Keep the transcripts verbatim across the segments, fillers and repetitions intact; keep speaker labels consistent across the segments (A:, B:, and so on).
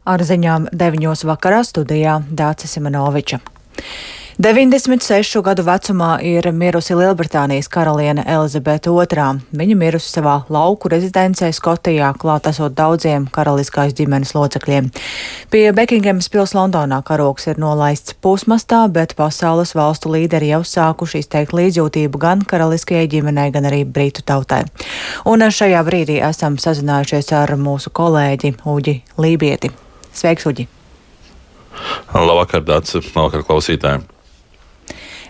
A: Ar ziņām deviņos vakarā studijā Dāca Simenoviča. deviņdesmit sešu gadu vecumā ir mirusi Lielbritānijas karaliene Elizabete otrā. Viņa mirusi savā lauku rezidencē Skotijā, klāt esot daudziem karaliskās ģimenes locekļiem. Pie Bekingemas pils Londonā karogs ir nolaists pusmastā, bet pasaules valstu līderi jau sākuši izteikt līdzjūtību gan karaliskajai ģimenei, gan arī britu tautai. Un šajā brīdī esam sazinājušies ar mūsu kolēģi Uģi Lībieti. Sveiks, Uģi!
B: Labvakar, Dāca, labvakar klausītājiem!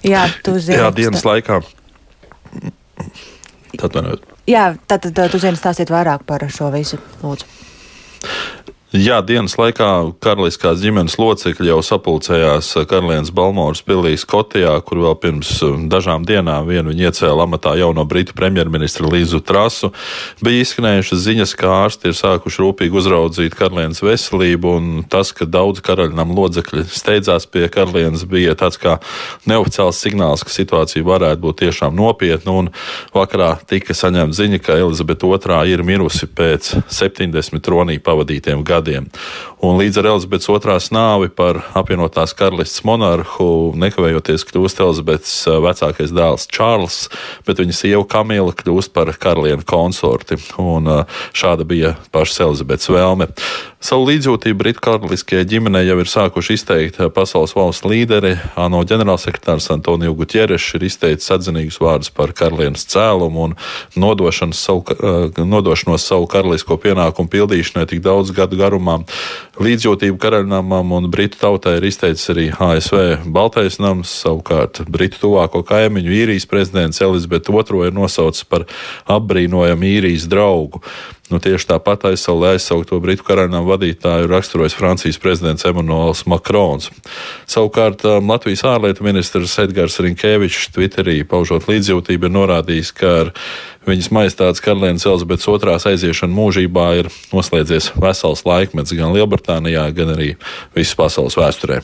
A: Jā, tu zini.
B: Jā, dienas laikā. Atvainojiet.
A: Jā, tad, tad tu zini stāstīt vairāk par šo visu, lūdzu.
B: Jā, dienas laikā karaliskās ģimenes locekļi jau sapulcējās karalienes Balmoras pilī Skotijā, kur vēl pirms dažām dienām vienu viņi iecēla amatā jauno britu premjerministru Līzu Trasu. Bija izskanējušas ziņas, ka ārsti ir sākuši rūpīgi uzraudzīt karalienes veselību, un tas, ka daudz karaļnam locekļi steidzās pie karalienes, bija tāds kā neoficiāls signāls, ka situācija varētu būt tiešām nopietna, un vakarā tika saņemta ziņa, ka Elizabete otrā ir mirusi pēc septiņdesmit tronī pavadītiem gadiem. Un līdz ar Elizabetes otrās nāvi par apvienotās karalistes monarhu nekavējoties kļūst Elizabetes vecākais dēls Čārls, bet viņa sieva Kamila kļūst par karalieni konsorti. Un šāda bija pašas Elizabetes vēlme. Savu līdzjūtību britu karaliskajai ģimenei jau ir sākuši izteikt pasaules valstu līderi. ANO ģenerālsekretārs Antonio Guterres ir izteicis atzinīgus vārdus par karalienes cēlumu un nodošanos savu, nodošanos savu karalisko pienākumu pildīšanai tik daudz gadu garumā. Līdzjūtību karaļnamam un britu tautai ir izteicis arī A S V Baltais nams, savukārt britu tuvāko kaimiņu īrijas prezidents Elizabete otrā ir nosaucis par apbrīnojamu īrijas draugu. Nu, tieši tāpat aizsaulē aizsaukto britu karaļnama vadītāju raksturojas Francijas prezidents Emmanuels Macrons. Savukārt Latvijas ārlietu ministrs Edgars Rinkēvičs Twitterī paužot līdzjūtību ir norādījis, ka ar viņas majestātes karalienes Elizabetes otrās aiziešana mūžībā ir noslēdzies vesels laikmets gan Lielbritānijā, gan arī visas pasaules vēsturē.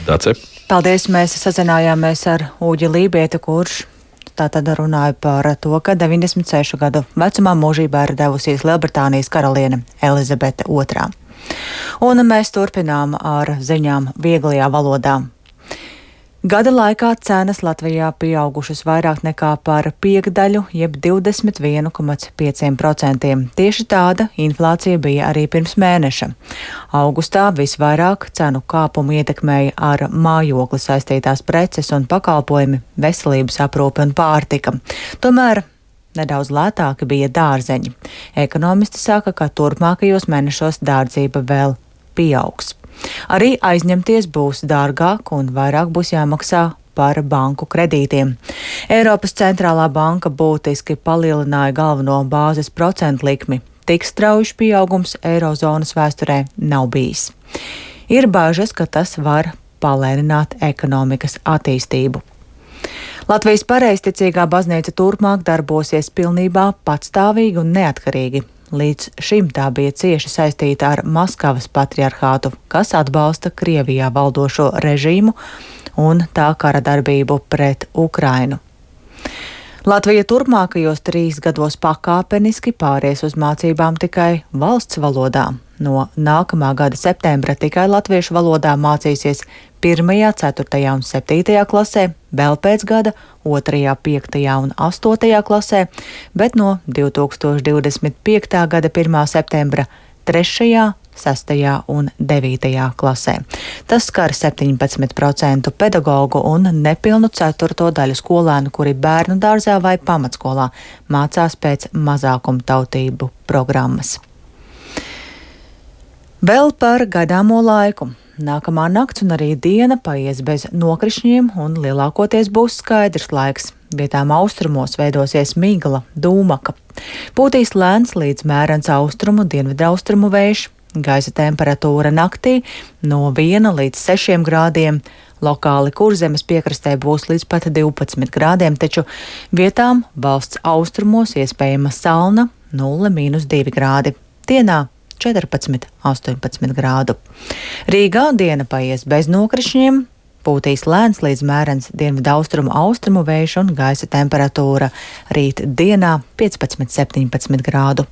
B: Dāce?
A: Paldies, mēs sazinājāmies ar Uģi Lībieti, kurš tātad runāja par to, ka deviņdesmit sešu gadu vecumā mūžībā ir devusies Lielbritānijas karaliene Elizabete otrā. Un mēs turpinām ar ziņām vieglajā valodā. Gada laikā cenas Latvijā pieaugušas vairāk nekā par piekdaļu, jeb divdesmit viens komā pieci procenti. Tieši tāda inflācija bija arī pirms mēneša. Augustā visvairāk cenu kāpumu ietekmēja ar mājokli saistītās preces un pakalpojumi, veselības aprūpe un pārtika. Tomēr nedaudz lētāki bija dārzeņi. Ekonomisti saka, ka turpmākajos mēnešos dārdzība vēl pieaugs. Arī aizņemties būs dārgāk un vairāk būs jāmaksā par banku kredītiem. Eiropas centrālā banka būtiski palielināja galveno bāzes procentu likmi. Tik strauji pieaugums eirozonas vēsturē nav bijis. Ir bažas, ka tas var palēnināt ekonomikas attīstību. Latvijas pareizticīgā baznīca turpmāk darbosies pilnībā patstāvīgi un neatkarīgi. Līdz šim tā bija cieši saistīta ar Maskavas patriarhātu, kas atbalsta Krievijā valdošo režīmu un tā kara darbību pret Ukrainu. Latvija turpmākajos trīs gados pakāpeniski pāries uz mācībām tikai valsts valodā. No nākamā gada septembra tikai latviešu valodā mācīsies pirmajā, ceturtajā un septītajā klasē, vēl pēc gada otrajā, piektajā un astotajā klasē, bet no divi tūkstoši divdesmit piektā gada pirmā septembra trešajā, sestajā un devītajā klasē. Tas skar septiņpadsmit procentu pedagogu un nepilnu ceturto daļu skolēnu, kuri bērnu dārzā vai pamatskolā mācās pēc mazākumtautību programmas. Vēl par gaidāmo laiku. Nākamā nakts un arī diena paies bez nokrišņiem un lielākoties būs skaidrs laiks. Vietām austrumos veidosies migla, dūmaka. Pūtīs lēns līdz mērens austrumu, dienvidaustrumu vējš. Gaisa temperatūra naktī no viena līdz sešiem grādiem. Lokāli Kurzemes piekrastē būs līdz pat divpadsmit grādiem, taču vietām valsts austrumos iespējama salna nulle mīnus divi grādi. Dienā četrpadsmit, astoņpadsmit grādu. Rīgā diena paies bez nokrišņiem, pūtīs lēns līdz mērens dienvidaustrumu austrumu vējš un gaisa temperatūra rīt dienā piecpadsmit, septiņpadsmit grādu.